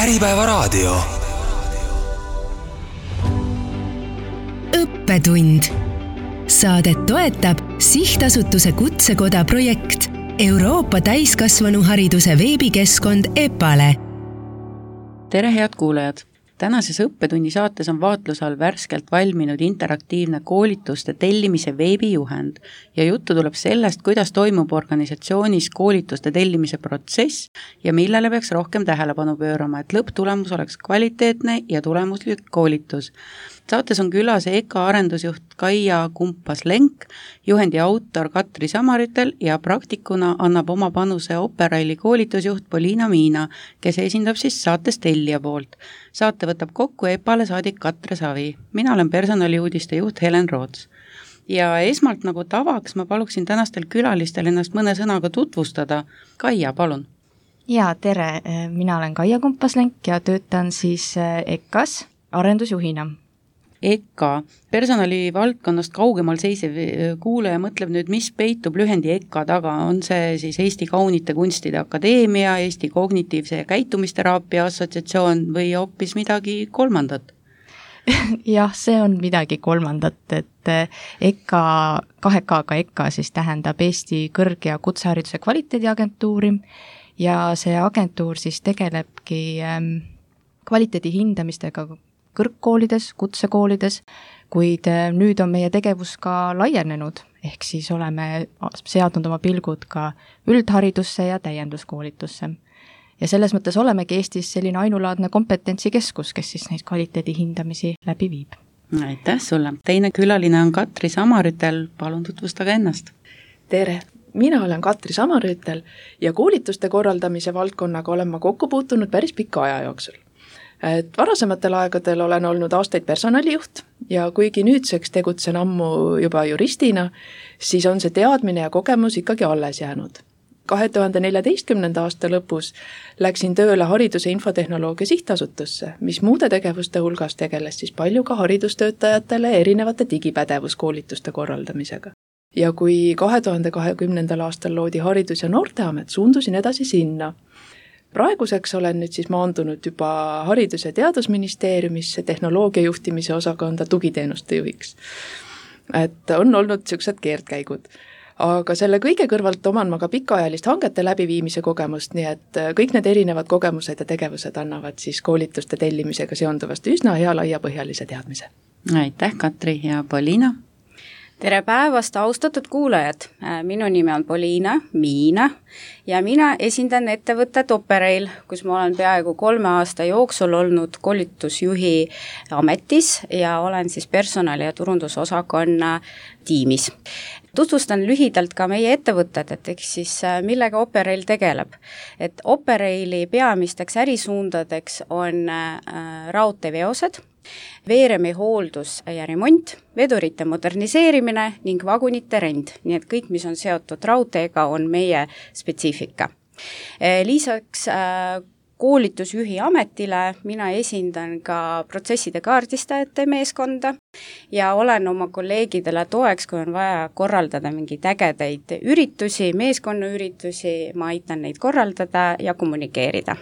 Äripäevaraadio. Õppetund. Saadet toetab Sihtasutuse Kutsekoda projekt Euroopa täiskasvanuhariduse veebikeskkond EPALE. Tere head kuulajad! Tänases õppetunni saates on vaatluse all värskelt valminud interaktiivne koolituste tellimise veebijuhend ja juttu tuleb sellest, kuidas toimub organisatsioonis koolituste tellimise protsess ja millele peaks rohkem tähelepanu pöörama, et lõpptulemus oleks kvaliteetne ja tulemuslik koolitus. Saates on külas EKA arendusjuht Kaia Kumpas-Lenk, juhendi autor Katri Samaritel ja praktikuna annab oma panuse Operaili koolitusjuht Poliina Miina, kes esindab siis saates tellija poolt. Saate võtab kokku EPALE saadik Katre Savi. Mina olen personaliuudiste juht Helen Roots. Ja esmalt nagu tavaks ma paluksin tänastel külalistel ennast mõne sõnaga tutvustada. Kaia, palun. Ja, tere. Mina olen Kaia Kumpas-Lenk ja töötan siis EKAs arendusjuhina. EKA, personali valdkonnast kaugemal seisev kuulaja mõtleb nüüd, mis peitub lühendi EKA taga. On see siis Eesti Kaunite Kunstide Akadeemia, Eesti Kognitiivse ja Käitumisteraapia Assotsiatsioon või hoopis midagi kolmandat? Jah, see on midagi kolmandat, et EKA, 2K-ga EKA siis tähendab Eesti Kõrg- ja Kutsehariduse Kvaliteediagentuuri ja see agentuur siis tegelebki kvaliteedi hindamistega kõrgkoolides, kutsekoolides, kuid nüüd on meie tegevus ka laienenud, ehk siis oleme seadnud oma pilgud ka üldharidusse ja täienduskoolitusse. Ja selles mõttes olemegi Eestis selline ainulaadne kompetentsikeskus, kes siis neid kvaliteedi hindamisi läbi viib. Aitäh sulle! Teine külaline on Katri Samaritel, palun tutvustage ennast. Tere! Mina olen Katri Samaritel ja koolituste korraldamise valdkonnaga olen ma kokku puutunud päris pika aja jooksul. Et varasematel aegadel olen olnud aastaid personalijuht ja kuigi nüüdseks tegutsen ammu juba juristina, siis on see teadmine ja kogemus ikkagi alles jäänud. 2014. aasta lõpus läksin tööle Hariduse Infotehnoloogia Sihtasutusse, mis muude tegevuste hulgas tegeles siis palju ka haridustöötajatele erinevate digipädevuskoolituste korraldamisega. Ja kui 2020. aastal loodi Haridus- ja Noorteamet, suundusin edasi sinna. Praeguseks olen nüüd siis maandunud juba Haridus- ja Teadusministeeriumisse tehnoloogia juhtimise osakonda tugiteenuste juhiks. Et on olnud sellised keerdkäigud. Aga selle kõige kõrvalt oman ma ka pikaajalist hangete läbiviimise kogemust, nii et kõik need erinevad kogemused ja tegevused annavad siis koolituste tellimisega seonduvast üsna hea laiapõhjalise teadmise. Aitäh, Katri ja Poliina! Tere päevast, austatud kuulajad! Minu nimi on Poliina Miina ja mina esindan ettevõtet Operail, kus ma olen peaaegu 3 aasta jooksul olnud koolitusjuhi ametis ja olen siis personali- ja turundusosakonna tiimis. Tutvustan lühidalt ka meie ettevõtted, et eks siis millega Operail tegeleb. Et Operaili peamisteks ärisuundadeks on raudteeveosed, veeremi hooldus ja remont, vedurite moderniseerimine ning vagunite rent, nii et kõik, mis on seotud raudteega, on meie spetsiifika. Lisaks koolitusjuhi ametile mina esindan ka protsesside kaardistajate meeskonda ja olen oma kolleegidele toeks, kui on vaja korraldada mingeid ägedaid üritusi, meeskonnaüritusi, ma aitan neid korraldada ja kommunikeerida.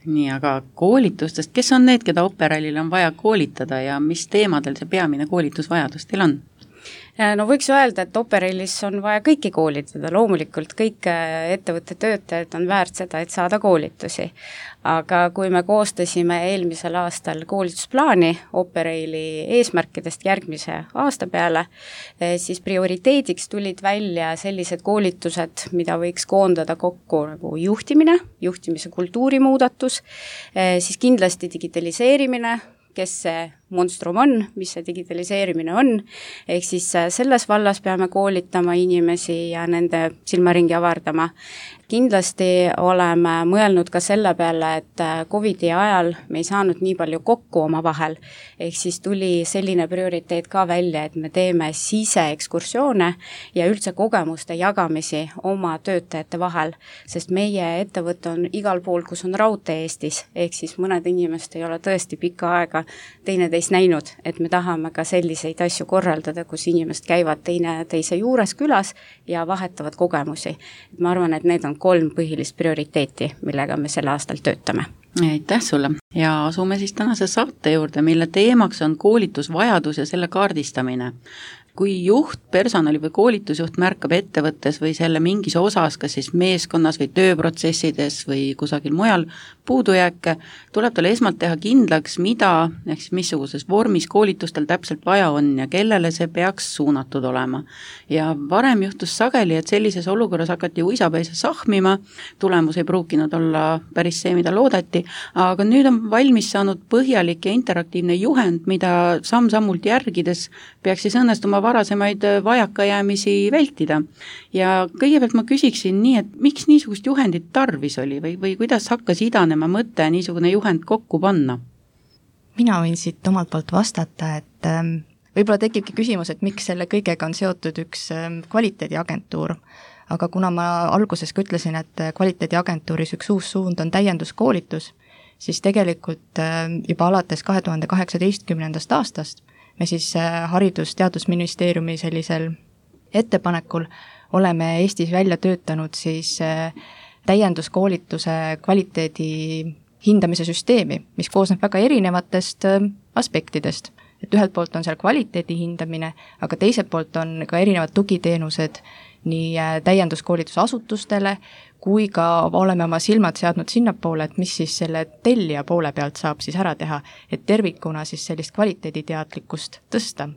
Nii, aga koolitustest, kes on need, keda Operailil on vaja koolitada ja mis teemadel see peamine koolitusvajadus teil on? No võiks öelda, et Operailis on vaja kõiki koolitada, loomulikult kõik ettevõtte töötajad on väärt seda, et saada koolitusi. Aga kui me koostasime eelmisel aastal koolitusplaani Operaili eesmärkidest järgmise aasta peale, siis prioriteediks tulid välja sellised koolitused, mida võiks koondada kokku nagu juhtimine, juhtimise kultuuri muudatus, siis kindlasti digitaliseerimine, kes see monstrum on, mis see digitaliseerimine on, ehk siis selles vallas peame koolitama inimesi ja nende silmaringi avardama. Kindlasti oleme mõelnud ka selle peale, et COVID-i ajal me ei saanud nii palju kokku oma vahel, ehk siis tuli selline prioriteet ka välja, et me teeme siseekskursioone ja üldse kogemuste jagamisi oma töötajate vahel, sest meie ettevõte on igal pool, kus on raudtee Eestis, ehk siis mõned inimesed ei ole tõesti pikka aega teineteist näinud, et me tahame ka selliseid asju korraldada, kus inimesed käivad teineteise juures külas ja vahetavad kogemusi. Ma arvan, et need on 3 põhilist prioriteeti, millega me sel aastal töötame. Aitäh sulle ja asume siis tänase saate juurde, mille teemaks on koolitusvajadus ja selle kaardistamine. Kui juht, personali või koolitusjuht märkab ettevõttes või selle mingis osas, kas siis meeskonnas või tööprotsessides või kusagil mujal puudujääke, tuleb tal esmalt teha kindlaks, mida ehk siis missuguses vormis koolitustel täpselt vaja on ja kellele see peaks suunatud olema. Ja varem juhtus sageli, et sellises olukorras hakati uisapäisa sahmima, tulemus ei pruukinud olla päris see, mida loodeti, aga nüüd on valmis saanud põhjalik ja interaktiivne juhend, mida samm-sammult järgides peaks siis õnnestuma varasemaid vajakajäämisi vältida. Ja kõigepealt ma küsiksin nii, et miks niisugust juhendit tarvis oli või kuidas hakkas idanema mõte niisugune juhend kokku panna? Mina võin siit omalt poolt vastata, et võib-olla tekibki küsimus, et miks selle kõigega on seotud üks kvaliteediagentuur. Aga kuna ma alguses ka ütlesin, et kvaliteediagentuuris üks uus suund on täienduskoolitus, siis tegelikult juba alates 2018. aastast me siis Haridus-Teadusministeeriumi sellisel ettepanekul oleme Eestis välja töötanud siis täienduskoolituse kvaliteedi hindamise süsteemi, mis koosneb väga erinevatest aspektidest. Et ühelt poolt on seal kvaliteedi hindamine, aga teiselt poolt on ka erinevad tugiteenused nii täienduskoolitusasutustele, kui ka oleme oma silmad seadnud sinnapoole, et mis siis selle tellija poole pealt saab siis ära teha, et tervikuna siis sellist kvaliteediteadlikkust tõsta.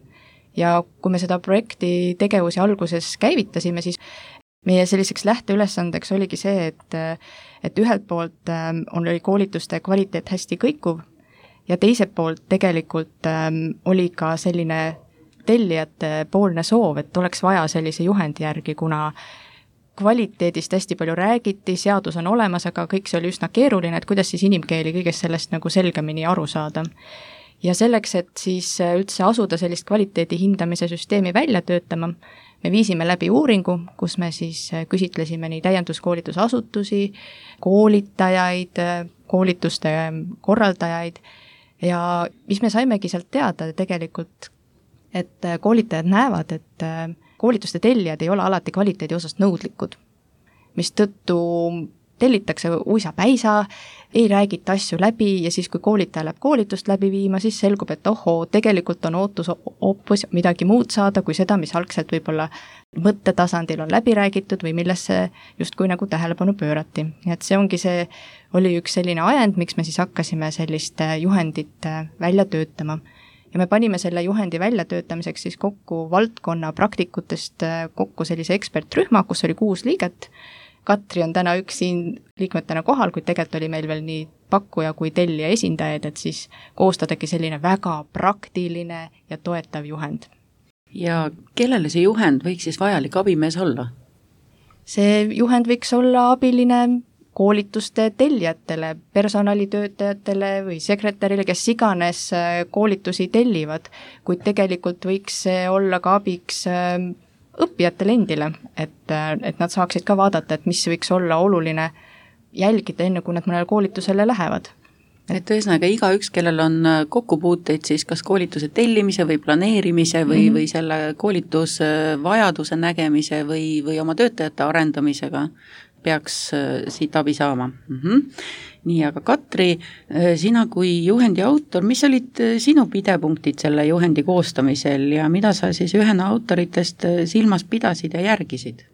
Ja kui me seda projekti tegevusi alguses käivitasime, siis meie selliseks lähteülesandeks oligi see, et ühelt poolt oli koolituste kvaliteet hästi kõikuv ja teiselt poolt tegelikult oli ka selline tellijate poolne soov, et oleks vaja sellise juhendi järgi, kuna kvaliteedist hästi palju räägiti, seadus on olemas, aga kõik see oli üsna keeruline, et kuidas siis inimkeeli kõigest sellest nagu selgemini aru saada. Ja selleks, et siis üldse asuda sellist kvaliteedi hindamise süsteemi välja töötama, me viisime läbi uuringu, kus me siis küsitlesime nii täienduskoolitusasutusi, koolitajaid, koolituste korraldajaid ja mis me saimegi sealt teada tegelikult, et koolitajad näevad, et koolituste tellijad ei ole alati kvaliteedi osast nõudlikud, mis tõttu tellitakse uisapäisa, ei räägita asju läbi ja siis, kui koolitaja läheb koolitust läbi viima, siis selgub, et tegelikult on ootus hoopis midagi muud saada, kui seda, mis algselt võib-olla mõttetasandil on läbi räägitud või millesse justkui nagu tähelepanu pöörati. Et see oli üks selline ajend, miks me siis hakkasime sellist juhendit välja töötama. Ja me panime selle juhendi väljatöötamiseks siis kokku valdkonna praktikutest kokku sellise ekspertrühma, kus oli 6 liiget. Katri on täna üks siin liikmetena kohal, kuid tegelikult oli meil veel nii pakkuja kui tellija esindajaid, et siis koostadagi selline väga praktiline ja toetav juhend. Ja kellele see juhend võiks siis vajalik abimees olla? See juhend võiks olla abiline koolituste tellijatele, personalitöötajatele või sekretärile, kes iganes koolitusi tellivad, kuid tegelikult võiks see olla ka abiks õppijatele endile, et nad saaksid ka vaadata, et mis võiks olla oluline jälgida enne, kui nad mõnele koolitusele lähevad. Et ühesõnaga igaüks, kellel on kokkupuuteid siis kas koolituse tellimise või planeerimise või selle koolitusvajaduse nägemise või oma töötajate arendamisega, peaks siit abi saama. Nii, aga Katri, sina kui juhendi autor, mis olid sinu pidepunktid selle juhendi koostamisel ja mida sa siis ühena autoritest silmas pidasid ja järgisid?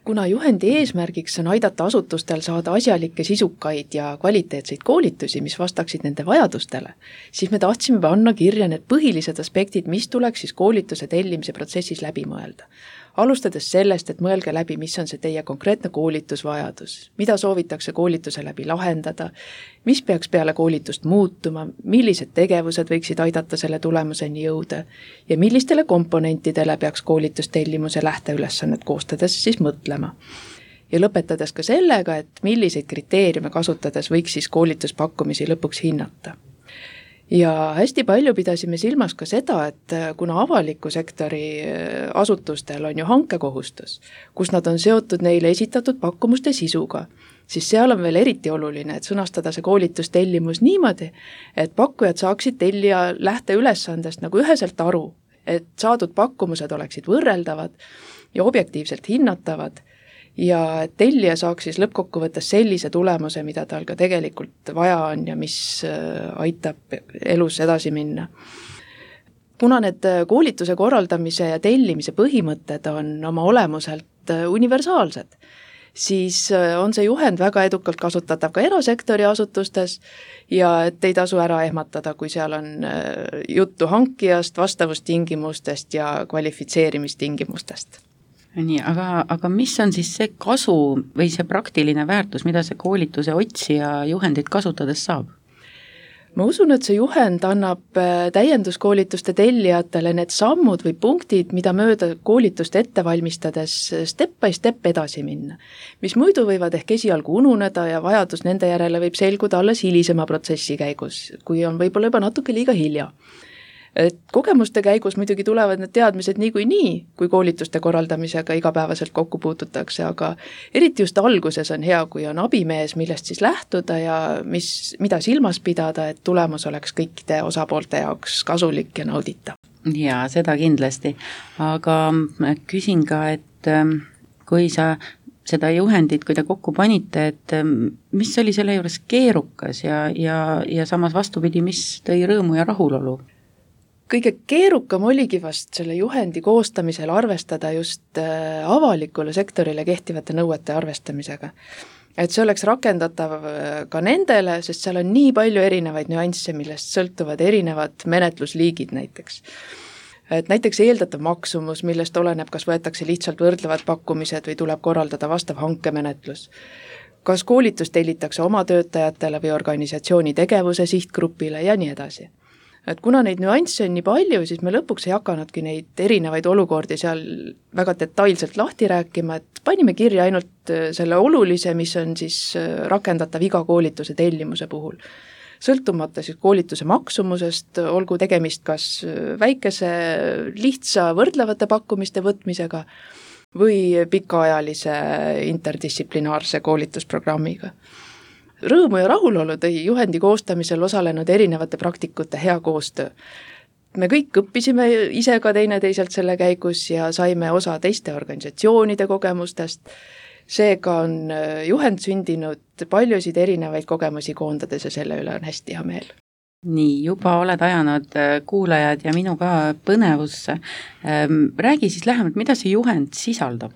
Kuna juhendi eesmärgiks on aidata asutustel saada asjalikke, sisukaid ja kvaliteetseid koolitusi, mis vastaksid nende vajadustele, siis me tahtsime panna kirja need põhilised aspektid, mis tuleks siis koolituse tellimise protsessis läbi mõelda. Alustades sellest, et mõelge läbi, mis on see teie konkreetne koolitusvajadus, mida soovitakse koolituse läbi lahendada, mis peaks peale koolitust muutuma, millised tegevused võiksid aidata selle tulemuseni jõuda ja millistele komponentidele peaks koolitustellimuse lähteülesannet koostades siis mõtlema. Ja lõpetades ka sellega, et milliseid kriteeriume kasutades võiks siis koolituspakkumisi lõpuks hinnata. Ja hästi palju pidasime silmas ka seda, et kuna avaliku sektori asutustel on ju hankekohustus, kus nad on seotud neile esitatud pakkumuste sisuga, siis seal on veel eriti oluline, et sõnastada see koolitustellimus niimoodi, et pakkujad saaksid tellija lähteülesandest nagu üheselt aru, et saadud pakkumused oleksid võrreldavad ja objektiivselt hinnatavad ja tellija saaks siis lõppkokkuvõttes sellise tulemuse, mida tal ka tegelikult vaja on ja mis aitab elus edasi minna. Kuna need koolituse korraldamise ja tellimise põhimõtted on oma olemuselt universaalsed, siis on see juhend väga edukalt kasutatav ka erasektori asutustes ja et ei tasu ära ehmatada, kui seal on juttu hankijast, vastavustingimustest ja kvalifitseerimistingimustest. Nii, aga mis on siis see kasu või see praktiline väärtus, mida see koolituse otsija juhendit kasutades saab? Ma usun, et see juhend annab täienduskoolituste tellijatele need sammud või punktid, mida mööda koolitust ette valmistades step by step edasi minna, mis muidu võivad ehk esialgu ununeda ja vajadus nende järele võib selguda alles hilisema protsessi käigus, kui on võib-olla juba natuke liiga hilja. Et kogemuste käigus muidugi tulevad need teadmised niikuinii, kui koolituste korraldamisega igapäevaselt kokku puututakse, aga eriti just alguses on hea, kui on abimees, millest siis lähtuda ja mida silmas pidada, et tulemus oleks kõikide osapoolte jaoks kasulik ja nauditav. Jaa, seda kindlasti, aga küsin ka, et kui sa seda juhendit, kui te kokku panite, et mis oli selle juures keerukas ja samas vastupidi, mis tõi rõõmu ja rahulolu? Kõige keerukam oligi vast selle juhendi koostamisel arvestada just avalikule sektorile kehtivate nõuete arvestamisega. Et see oleks rakendatav ka nendele, sest seal on nii palju erinevaid nüansse, millest sõltuvad erinevad menetlusliigid näiteks. Et näiteks eeldatav maksumus, millest oleneb, kas võetakse lihtsalt võrdlevad pakkumised või tuleb korraldada vastav hankemenetlus. Kas koolitus tellitakse oma töötajatele või organisatsiooni tegevuse sihtgrupile ja nii edasi. Et kuna neid nüansse on nii palju, siis me lõpuks ei hakanudki neid erinevaid olukordi seal väga detailselt lahti rääkima, et panime kirja ainult selle olulise, mis on siis rakendatav iga koolituse tellimuse puhul. Sõltumata siis koolituse maksumusest, olgu tegemist kas väikese, lihtsa võrdlevate pakkumiste võtmisega või pikaajalise interdistsiplinaarse koolitusprogrammiga. Rõõmu ja rahulolu tõi juhendi koostamisel osalenud erinevate praktikute hea koostöö. Me kõik õppisime ise ka teineteiselt selle käigus ja saime osa teiste organisatsioonide kogemustest. Seega on juhend sündinud paljusid erinevaid kogemusi koondades ja selle üle on hästi hea meel. Nii, juba oled ajanud kuulajad ja minu ka põnevusse. Räägi siis lähemalt, mida see juhend sisaldab?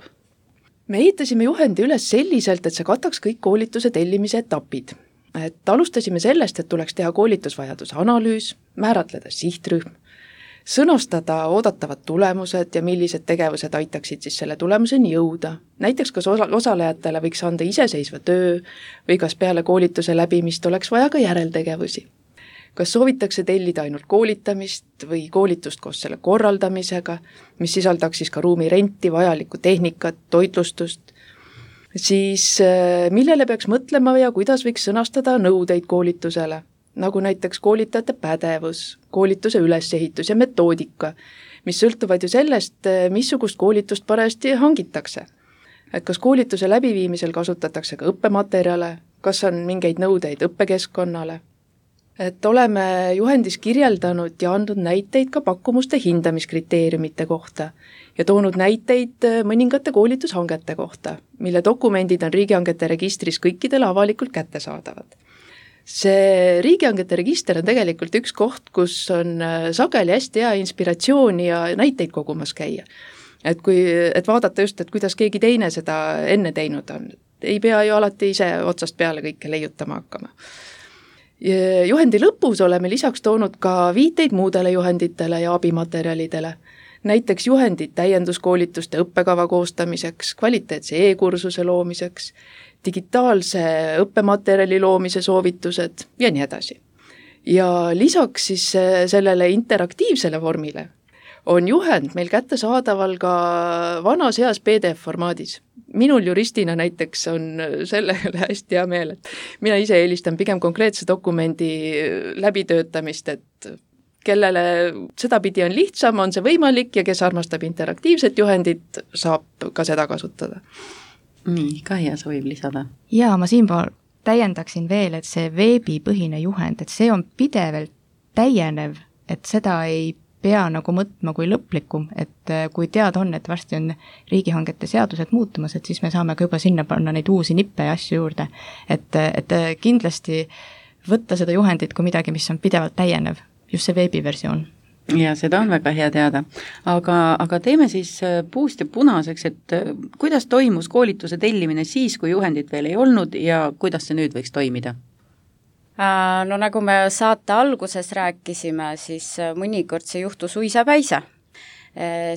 Me ehitasime juhendi üles selliselt, et see kataks kõik koolituse tellimise etapid. Et alustasime sellest, et tuleks teha koolitusvajaduse analüüs, määratleda sihtrühm, sõnastada oodatavad tulemused ja millised tegevused aitaksid siis selle tulemuseni jõuda. Näiteks kas osalejatele võiks anda iseseisva töö või kas peale koolituse läbimist oleks vaja ka järeltegevusi. Kas soovitakse tellida ainult koolitamist või koolitust koos selle korraldamisega, mis sisaldaks siis ka ruumi renti, vajalikku tehnikat, toitlustust, siis millele peaks mõtlema ja kuidas võiks sõnastada nõudeid koolitusele, nagu näiteks koolitajate pädevus, koolituse ülesehitus ja metoodika, mis sõltuvad ju sellest, missugust koolitust parajasti hangitakse. Et kas koolituse läbiviimisel kasutatakse ka õppematerjale, kas on mingeid nõudeid õppekeskkonnale. Et oleme juhendis kirjeldanud ja andnud näiteid ka pakkumuste hindamiskriteeriumite kohta ja toonud näiteid mõningate koolitushangete kohta, mille dokumendid on riigihangete registris kõikidele avalikult kättesaadavad. See riigihangete register on tegelikult üks koht, kus on sageli hästi hea inspiratsiooni ja näiteid kogumas käia. Et vaadata just, et kuidas keegi teine seda enne teinud on. Ei pea ju alati ise otsast peale kõike leiutama hakkama. Juhendi lõpus oleme lisaks toonud ka viiteid muudele juhenditele ja abimaterjalidele, näiteks juhendid täienduskoolituste õppekava koostamiseks, kvaliteetse e-kursuse loomiseks, digitaalse õppematerjali loomise soovitused ja nii edasi. Ja lisaks siis sellele interaktiivsele vormile on juhend meil kättesaadaval ka vanas heas PDF-formaadis. Minul juristina näiteks on selle üle hästi hea meel, et mina ise eelistan pigem konkreetse dokumendi läbitöötamist, et kellele sedapidi on lihtsam, on see võimalik ja kes armastab interaktiivset juhendit, saab ka seda kasutada. Nii, Kaia soovib lisada. Jaa, ma siinpool täiendaksin veel, et see veebipõhine juhend, et see on pidevalt täienev, et seda ei pea nagu mõtma kui lõplikum, et kui teada on, et varsti on riigihangete seadused muutumas, et siis me saame ka juba sinna panna neid uusi nippe ja asju juurde. Et kindlasti võtta seda juhendit kui midagi, mis on pidevalt täienev, just see veebiversioon. Ja seda on väga hea teada, aga teeme siis puust ja punaseks, et kuidas toimus koolituse tellimine siis, kui juhendit veel ei olnud ja kuidas see nüüd võiks toimida? No nagu me saate alguses rääkisime, siis mõnikord see juhtus uisapäisa.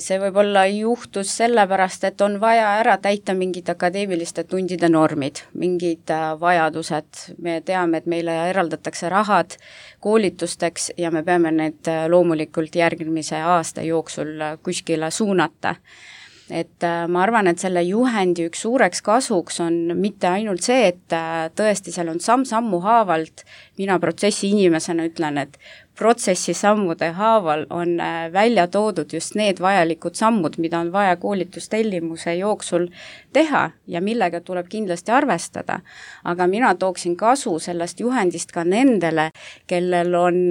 See võib-olla juhtus sellepärast, et on vaja ära täita mingid akadeemiliste tundide normid, mingid vajadused. Me teame, et meile eraldatakse rahad koolitusteks ja me peame need loomulikult järgmise aasta jooksul kuskile suunata. Et ma arvan, et selle juhendi üks suureks kasuks on mitte ainult see, et tõesti seal on samm-sammu haavalt, mina protsessi inimesena ütlen, et protsessi sammude haaval on välja toodud just need vajalikud sammud, mida on vaja koolitustellimuse jooksul teha ja millega tuleb kindlasti arvestada. Aga mina tooksin kasu sellest juhendist ka nendele, kellel on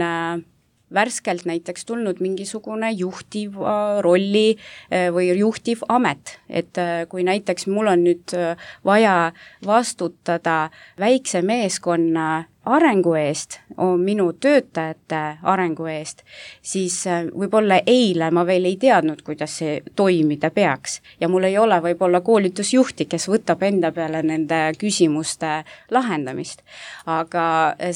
värskelt näiteks tulnud mingisugune juhtiv rolli või juhtiv amet, et kui näiteks mul on nüüd vaja vastutada väikse meeskonna arengu eest, minu töötajate arengu eest, siis võib-olla eile ma veel ei teadnud, kuidas see toimida peaks ja mul ei ole võib-olla koolitusjuhti, kes võtab enda peale nende küsimuste lahendamist. Aga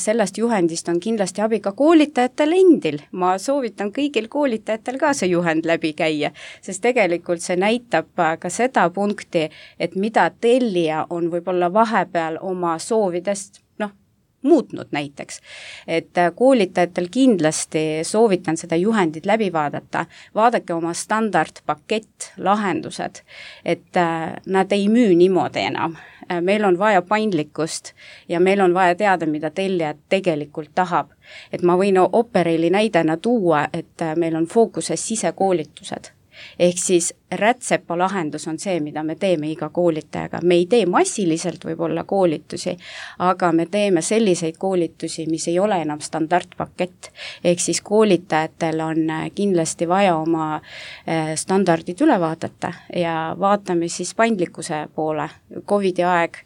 sellest juhendist on kindlasti abi ka koolitajatel endil. Ma soovitan kõigil koolitajatel ka see juhend läbi käia, sest tegelikult see näitab ka seda punkti, et mida tellija on võib-olla vahepeal oma soovidest muutnud näiteks, et koolitajatel kindlasti soovitan seda juhendit läbi vaadata, vaadake oma standardpakett, lahendused, et nad ei müü niimoodi enam. Meil on vaja paindlikkust ja meil on vaja teada, mida tellija tegelikult tahab. Et ma võin Operaili näidena tuua, et meil on fookuses sisekoolitused. Ehk siis rätsepa lahendus on see, mida me teeme iga koolitajaga. Me ei tee massiliselt võib-olla koolitusi, aga me teeme selliseid koolitusi, mis ei ole enam standardpakett. Ehk siis koolitajatel on kindlasti vaja oma standardid üle vaadata ja vaatame siis paindlikkuse poole. Covidi aeg,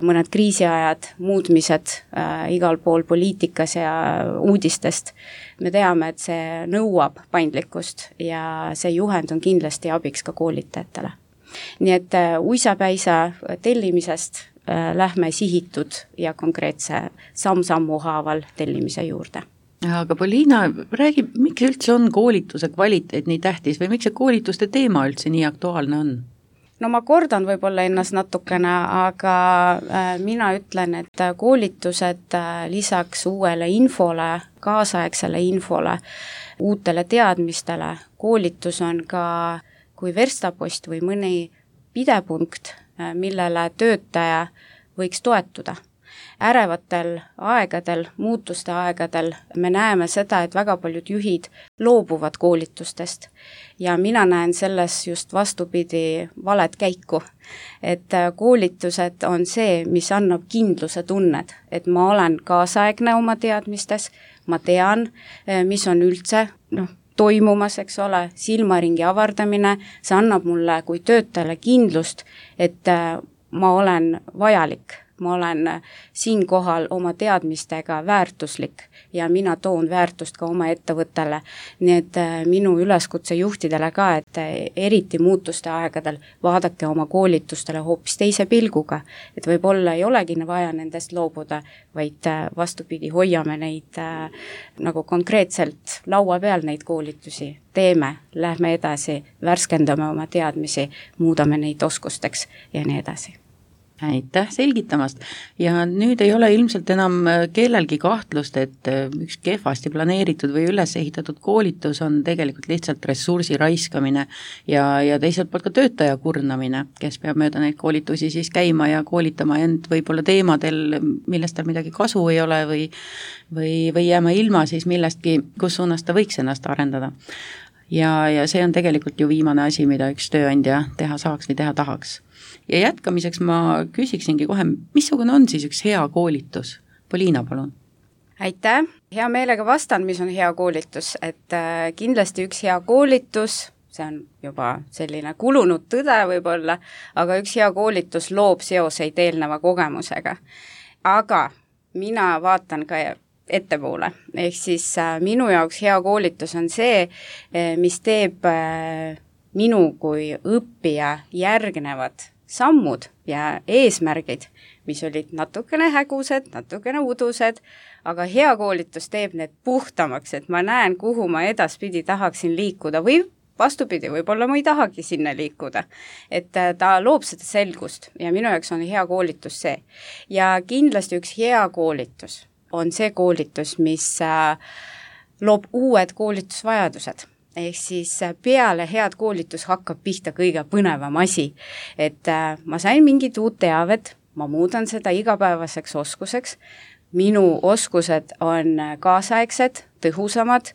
mõned kriisiajad, muutmised igal pool poliitikas ja uudistest. Me teame, et see nõuab paindlikkust ja see juhend on kindlasti abiks ka koolitajatele. Nii et uisapäisa tellimisest lähme sihitud ja konkreetse samm-sammu haaval tellimise juurde. Aga Poliina, räägi, miks üldse on koolituse kvaliteet nii tähtis või miks see koolituste teema üldse nii aktuaalne on? No ma kordan võib-olla ennast natukene, aga mina ütlen, et koolitused lisaks uuele infole, kaasaegsele infole, uutele teadmistele, koolitus on ka kui verstapost või mõni pidepunkt, millele töötaja võiks toetuda. Ärevatel aegadel, muutuste aegadel me näeme seda, et väga paljud juhid loobuvad koolitustest ja mina näen selles just vastupidi valet käiku, et koolitused on see, mis annab kindluse tunned, et ma olen kaasaegne oma teadmistes, ma tean, mis on üldse toimumas, eks ole, silmaringi avardamine, see annab mulle kui töötajale kindlust, et ma olen vajalik. Ma olen siinkohal oma teadmistega väärtuslik ja mina toon väärtust ka oma ettevõttele. Nii et minu üleskutse juhtidele ka, et eriti muutuste aegadel vaadake oma koolitustele hoopis teise pilguga, et võib-olla ei olegi vaja nendest loobuda, vaid vastupidi hoiame neid nagu konkreetselt laua peal neid koolitusi. Teeme, lähme edasi, värskendame oma teadmisi, muudame neid oskusteks ja nii edasi. Aitäh selgitamast ja nüüd ei ole ilmselt enam kellelgi kahtlust, et üks kehvasti planeeritud või üles ehitatud koolitus on tegelikult lihtsalt ressursi raiskamine ja teiselt poolt ka töötaja kurnamine, kes peab mööda neid koolitusi siis käima ja koolitama end võib-olla teemadel, millest tal midagi kasu ei ole või jääma ilma siis millestki, kus suunas ta võiks ennast arendada. Ja see on tegelikult ju viimane asi, mida üks tööandja teha saaks või teha tahaks. Ja jätkamiseks ma küsiksingi kohe, missugune on siis üks hea koolitus? Poliina, palun. aitäh, hea meelega vastan, mis on hea koolitus, et kindlasti üks hea koolitus, see on juba selline kulunud tõde võib-olla, aga üks hea koolitus loob seoseid eelneva kogemusega. Aga mina vaatan ka ettepoole, ehk siis minu jaoks hea koolitus on see, mis teeb minu kui õppija järgnevad sammud ja eesmärgid, mis olid natukene hägused, natukene udused, aga hea koolitus teeb need puhtamaks, et ma näen, kuhu ma edaspidi tahaksin liikuda või vastupidi, võib-olla ma ei tahagi sinna liikuda. Et ta loob seda selgust ja minu jaoks on hea koolitus see. Ja kindlasti üks hea koolitus on see koolitus, mis loob uued koolitusvajadused. Ehk siis peale head koolitus hakkab pihta kõige põnevam asi. Et ma sain mingit uut teavet, ma muudan seda igapäevaseks oskuseks, minu oskused on kaasaegsed, tõhusamad,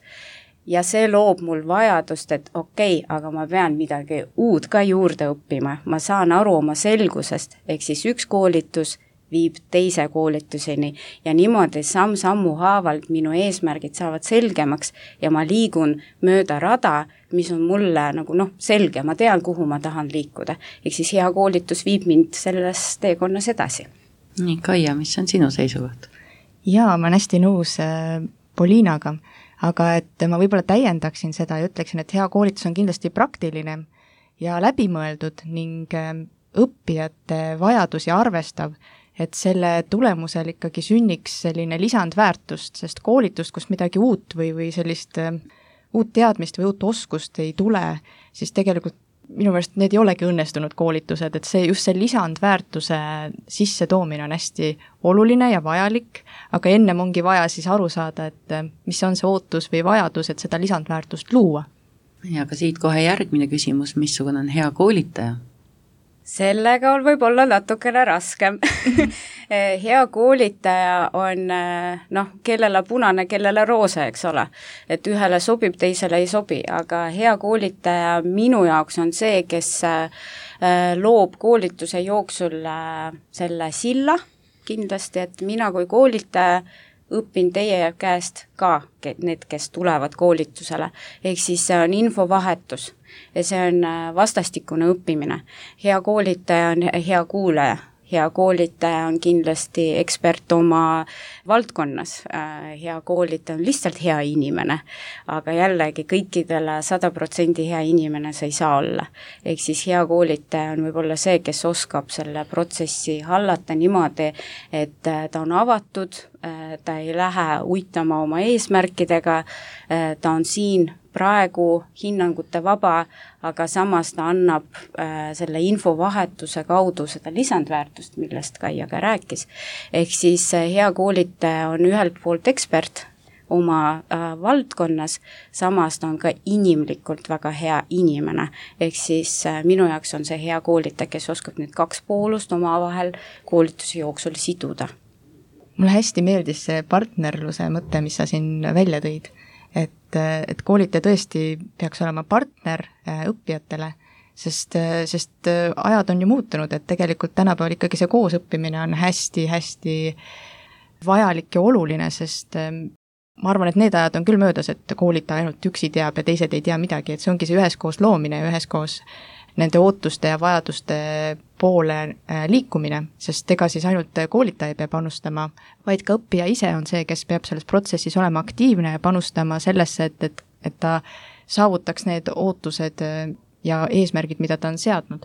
ja see loob mul vajadust, et okei, aga ma pean midagi uut ka juurde õppima. Ma saan aru oma selgusest, ehk siis üks koolitus viib teise koolituseni ja niimoodi samm-sammu haavalt minu eesmärgid saavad selgemaks ja ma liigun mööda rada, mis on mulle nagu selge, ma tean, kuhu ma tahan liikuda. Ehk siis hea koolitus viib mind selles teekonnas edasi. Nii, Kaia, mis on sinu seisukoht? Jaa, ma olen hästi nõus Poliinaga, aga et ma võib-olla täiendaksin seda ja ütleksin, et hea koolitus on kindlasti praktiline ja läbimõeldud ning õppijate vajadusi arvestav, et selle tulemusel ikkagi sünniks selline lisandväärtust, sest koolitust, kus midagi uut või sellist uut teadmist või uut oskust ei tule, siis tegelikult minu meelest need ei olegi õnnestunud koolitused, et see just see lisandväärtuse sisse toomine on hästi oluline ja vajalik, aga ennem ongi vaja siis aru saada, et mis on see ootus või vajadus, et seda lisandväärtust luua. Ja ka siit kohe järgmine küsimus, missugune on hea koolitaja? Sellega on võib-olla natukene raskem. Hea koolitaja on, kellele punane, kellele roosa, eks ole. Et ühele sobib, teisele ei sobi, aga hea koolitaja minu jaoks on see, kes loob koolituse jooksul selle silla kindlasti, et mina kui koolitaja õpin teie käest ka need, kes tulevad koolitusele. Ehk siis see on infovahetus ja see on vastastikune õppimine. Hea koolitaja on hea kuulaja. Hea koolitaja on kindlasti ekspert oma valdkonnas. Hea koolitaja on lihtsalt hea inimene, aga jällegi kõikidele 100% hea inimene sa ei saa olla. Ehk siis hea koolitaja on võib-olla see, kes oskab selle protsessi hallata niimoodi, et ta on avatud, ta ei lähe uitama oma eesmärkidega, ta on siin praegu hinnangute vaba, aga samas ta annab selle infovahetuse kaudu seda lisandväärtust, millest Kaia ka rääkis. Ehk siis hea koolitaja on ühelt poolt ekspert oma valdkonnas, samas ta on ka inimlikult väga hea inimene. Ehk siis minu jaoks on see hea koolitaja, kes oskab need kaks poolust oma vahel koolituse jooksul siduda. Mulle hästi meeldis see partnerluse mõte, mis sa siin välja tõid. Et koolitaja tõesti peaks olema partner õppijatele, sest ajad on ju muutunud, et tegelikult tänapäeval ikkagi see koosõppimine on hästi-hästi vajalik ja oluline, sest ma arvan, et need ajad on küll möödas, et koolitaja ainult üksi teab ja teised ei tea midagi, et see ongi see üheskoos loomine ja üheskoos nende ootuste ja vajaduste poole liikumine, sest ega siis ainult koolitaja peab panustama, vaid ka õppija ise on see, kes peab selles protsessis olema aktiivne ja panustama sellesse, et ta saavutaks need ootused ja eesmärgid, mida ta on seadnud.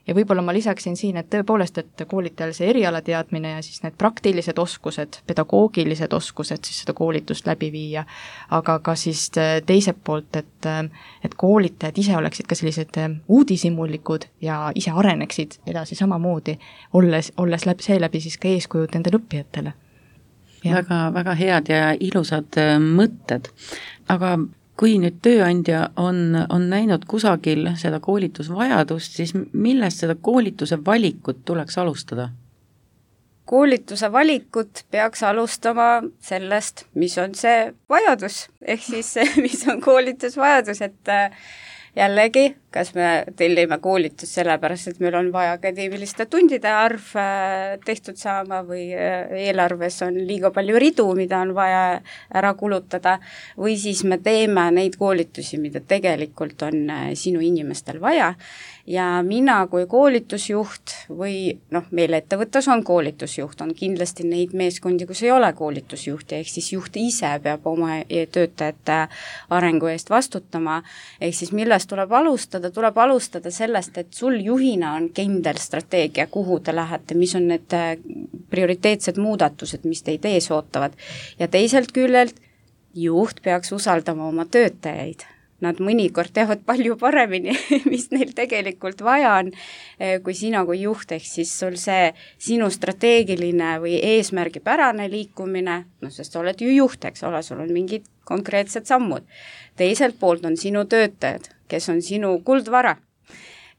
Ja võib-olla ma lisaksin siin, et tõepoolest, et koolitajal see erialateadmine ja siis need praktilised oskused, pedagoogilised oskused siis seda koolitust läbi viia, aga ka siis teiselt poolt, et koolitajad ise oleksid ka sellised uudishimulikud ja ise areneksid edasi samamoodi, olles seeläbi siis ka eeskujud nendele õppijatele. Väga, väga head ja ilusad mõtted, aga kui nüüd tööandja on näinud kusagil seda koolitusvajadust, siis millest seda koolituse valikut tuleks alustada? Koolituse valikut peaks alustama sellest, mis on see vajadus, ehk siis mis on koolitusvajadus, et jällegi kas me tellime koolitust sellepärast, et meil on vaja akadeemiliste tundide arv tehtud saama või eelarves on liiga palju ridu, mida on vaja ära kulutada, või siis me teeme neid koolitusi, mida tegelikult on sinu inimestel vaja. Ja mina kui koolitusjuht või meil ettevõttes on koolitusjuht, on kindlasti neid meeskondi, kus ei ole koolitusjuhti, ehk siis juht ise peab oma töötajate arengu eest vastutama, ehk siis millest tuleb alustada sellest, et sul juhina on kindel strateegia, kuhu te lähete, mis on need prioriteetsed muudatused, mis teid ees ootavad. Ja teiselt küljelt juht peaks usaldama oma töötajaid. Nad mõnikord teavad palju paremini, mis neil tegelikult vaja on, kui sina kui juht, ehk siis sul see sinu strateegiline või eesmärgipärane liikumine, sest sa oled ju juht, eks ole, sul on mingid konkreetsed sammud. Teiselt poolt on sinu töötajad, kes on sinu kuldvara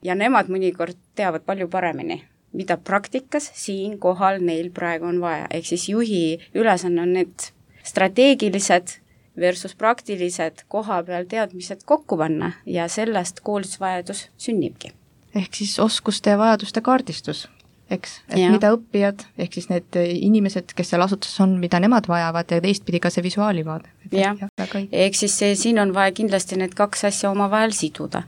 ja nemad mõnikord teavad palju paremini, mida praktikas siin kohal neil praegu on vaja, ehk siis juhi ülesanne on need strateegilised versus praktilised koha peal teadmised kokku panna ja sellest koolitusvajadus sünnibki. Ehk siis oskuste ja vajaduste kaardistus, eks? Et mida õppijad, ehk siis need inimesed, kes seal asutuses on, mida nemad vajavad ja teistpidi ka see visuaalivaade. Ehk siis siin on vaja kindlasti need kaks asja omavahel siduda.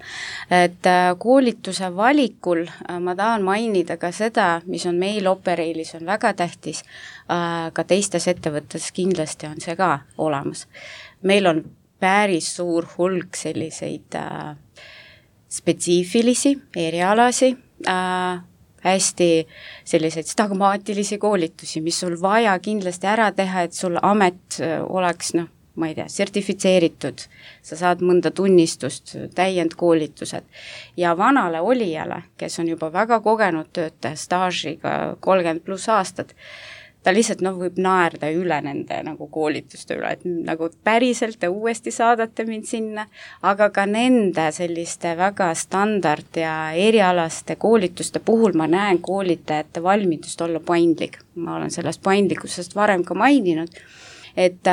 Et koolituse valikul ma tahan mainida ka seda, mis on meil Operailis on väga tähtis, ka teistes ettevõttes kindlasti on see ka olemas. Meil on päris suur hulk selliseid spetsiifilisi erialasi, hästi selliseid stagmaatilisi koolitusi, mis sul vaja kindlasti ära teha, et sul amet oleks, ma ei tea, sertifitseeritud, sa saad mõnda tunnistust, täiendkoolitused. Ja vanale olijale, kes on juba väga kogenud töötaja staažiga 30+ aastad, ta lihtsalt võib naerda üle nende koolituste üle, et päriselt te uuesti saadate mind sinna, aga ka nende selliste väga standard ja erialaste koolituste puhul ma näen koolitajate valmidust olla paindlik. Ma olen sellest paindlikkusest varem ka maininud, et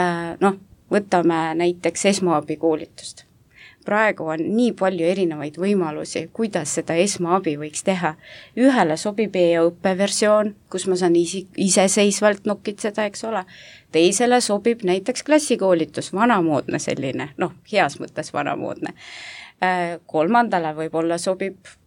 võtame näiteks esmaabikoolitust. Praegu on nii palju erinevaid võimalusi, kuidas seda esmaabi võiks teha. Ühele sobib e-õppeversioon, kus ma saan iseseisvalt nokitseda, eks ole. Teisele sobib näiteks klassikoolitus, vanamoodne selline, heas mõttes vanamoodne. Kolmandale võib-olla sobib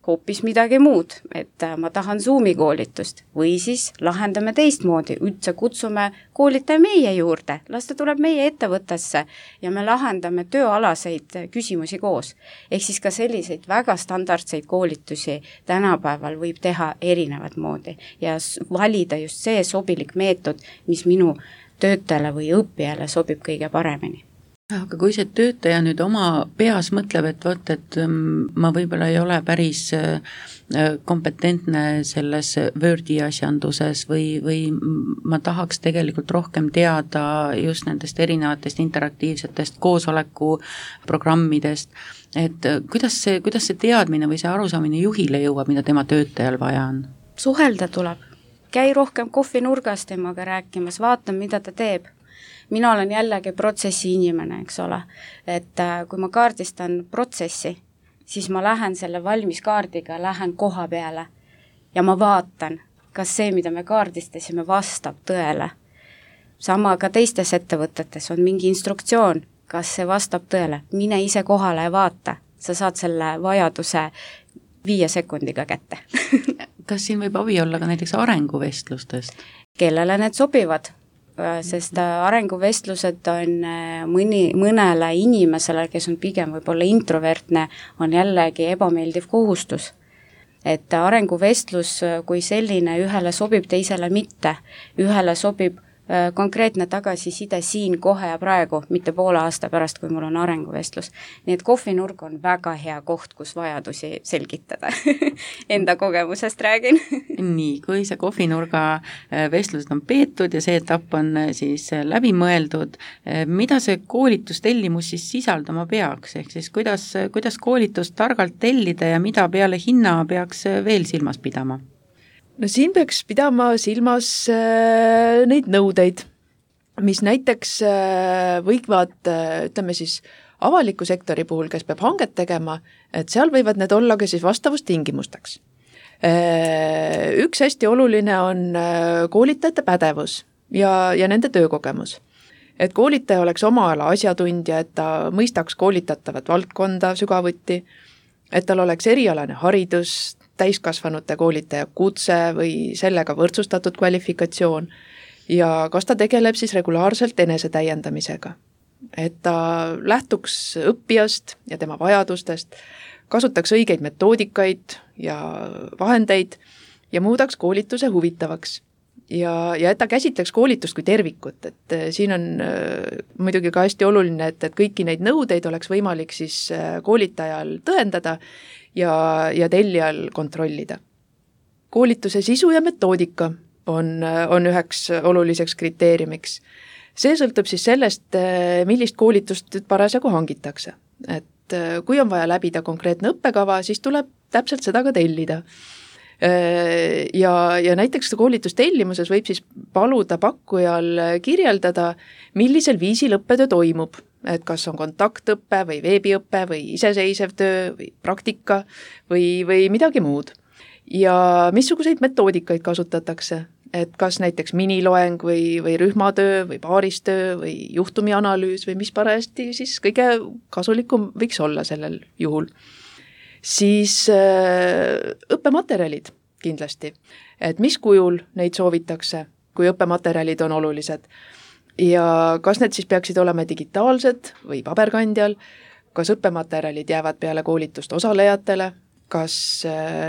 hoopis midagi muud, et ma tahan Zoomi koolitust või siis lahendame teistmoodi, üldse kutsume koolitaja meie juurde, las ta tuleb meie ettevõttesse ja me lahendame tööalaseid küsimusi koos. Ehk siis ka selliseid väga standardseid koolitusi tänapäeval võib teha erinevat moodi ja valida just see sobilik meetod, mis minu töötajale või õppijale sobib kõige paremini. Aga kui see töötaja nüüd oma peas mõtleb, et ma võib-olla ei ole päris kompetentne selles Wordi asjanduses või ma tahaks tegelikult rohkem teada just nendest erinevatest interaktiivsetest koosoleku programmidest, et kuidas see teadmine või see arusaamine juhile jõuab, mida tema töötajal vaja on? Suhelda tuleb. Käi rohkem kohvinurgas temaga rääkimas, vaata, mida ta teeb. Mina olen jällegi protsessi inimene, eks ole, et kui ma kaardistan protsessi, siis ma lähen selle valmis kaardiga, lähen koha peale ja ma vaatan, kas see, mida me kaardistasime, vastab tõele. Sama ka teistes ettevõtetes on mingi instruktsioon, kas see vastab tõele, mine ise kohale ja vaata, sa saad selle vajaduse 5 sekundiga kätte. Kas siin võib abi olla ka näiteks arenguvestlustest? Kellele need sobivad? Sest arenguvestlused on mõnele inimesele, kes on pigem võib-olla introvertne, on jällegi ebameeldiv kohustus. Et arenguvestlus kui selline ühele sobib, teisele mitte. Ühele sobib konkreetne tagasiside siin kohe ja praegu, mitte poole aasta pärast, kui mul on arenguvestlus. Nii et kohvinurg on väga hea koht, kus vajadusi selgitada. Enda kogemusest räägin. Nii, kui see kohvinurga vestlused on peetud ja see etapp on siis läbi mõeldud, mida see koolitustellimus siis sisaldama peaks? Ehk siis kuidas koolitust targalt tellida ja mida peale hinna peaks veel silmas pidama? No siin peaks pidama silmas neid nõudeid, mis näiteks võivad, ütleme siis, Avaliku sektori puhul, kes peab hanget tegema, et seal võivad need olla ka siis vastavustingimusteks. Üks hästi oluline on koolitajate pädevus ja nende töökogemus. Et koolitaja oleks oma ala asjatundja, et ta mõistaks koolitatavat valdkonda sügavuti, et tal oleks erialane haridus, täiskasvanute koolitaja kutse või sellega võrdsustatud kvalifikatsioon ja kas ta tegeleb siis regulaarselt enesetäiendamisega. Et ta lähtuks õppijast ja tema vajadustest, kasutaks õigeid metoodikaid ja vahendeid ja muudaks koolituse huvitavaks. Ja et ta käsitleks koolitust kui tervikut, et siin on muidugi ka hästi oluline, et kõiki neid nõudeid oleks võimalik siis koolitajal tõendada ja tellijal kontrollida. Koolituse sisu ja metoodika on üheks oluliseks kriteeriumiks. See sõltub siis sellest, millist koolitust parasjagu hangitakse. Et kui on vaja läbida konkreetne õppekava, siis tuleb täpselt seda ka tellida. Ja näiteks koolitustellimuses võib siis paluda pakkujal kirjeldada, millisel viisil õppetöö toimub, et kas on kontaktõppe või veebiõppe või iseseisev töö või praktika või midagi muud. Ja missuguseid metoodikaid kasutatakse, et kas näiteks miniloeng või rühmatöö või paaristöö või juhtumianalüüs või mis parajasti siis kõige kasulikum võiks olla sellel juhul. Siis õppematerjalid kindlasti, et mis kujul neid soovitakse, kui õppematerjalid on olulised ja kas need siis peaksid olema digitaalsed või paberkandjal, kas õppematerjalid jäävad peale koolitust osalejatele, kas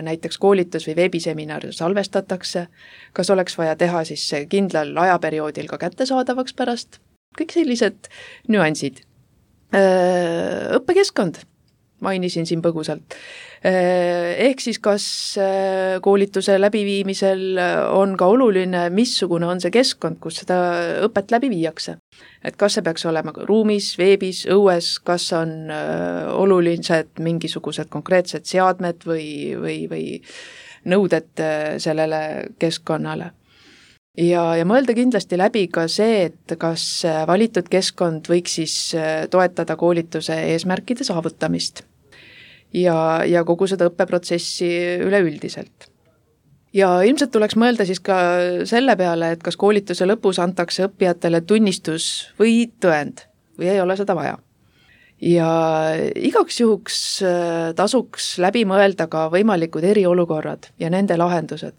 näiteks koolitus või veebiseminar salvestatakse, kas oleks vaja teha siis kindlal ajaperioodil ka kättesaadavaks pärast, kõik sellised nüansid. Õppekeskkond mainisin siin põgusalt. Ehk siis kas koolituse läbiviimisel on ka oluline, missugune on see keskkond, kus seda õpet läbi viiakse. Et kas see peaks olema ruumis, veebis, õues, kas on olulised mingisugused konkreetsed seadmed või nõuded sellele keskkonnale. Ja mõelda kindlasti läbi ka see, et kas valitud keskkond võiks siis toetada koolituse eesmärkide saavutamist ja kogu seda õppeprotsessi üleüldiselt. Ja ilmselt tuleks mõelda siis ka selle peale, et kas koolituse lõpus antakse õppijatele tunnistus või tõend või ei ole seda vaja. Ja igaks juhuks tasuks läbi mõelda ka võimalikud eriolukorrad ja nende lahendused.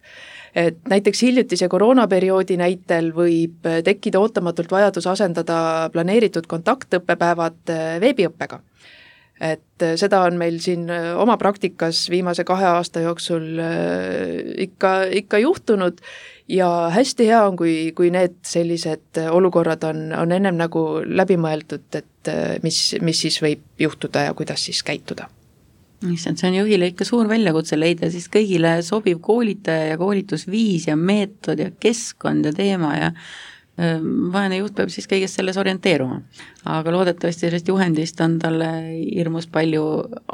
Et näiteks hiljutise koroonaperioodi näitel võib tekkida ootamatult vajadus asendada planeeritud kontaktõppepäevad veebiõppega. Et seda on meil siin oma praktikas viimase 2 aasta jooksul ikka juhtunud ja hästi hea on, kui need sellised olukorrad on ennem nagu läbi mõeldud, et mis siis võib juhtuda ja kuidas siis käituda. See on juhile ikka suur väljakutse leida siis kõigile sobiv koolitaja ja koolitusviis ja meetod ja keskkond ja teema ja vaene juht peab siis kõigest selles orienteeruma. Aga loodetavasti sellest juhendist on talle hirmus palju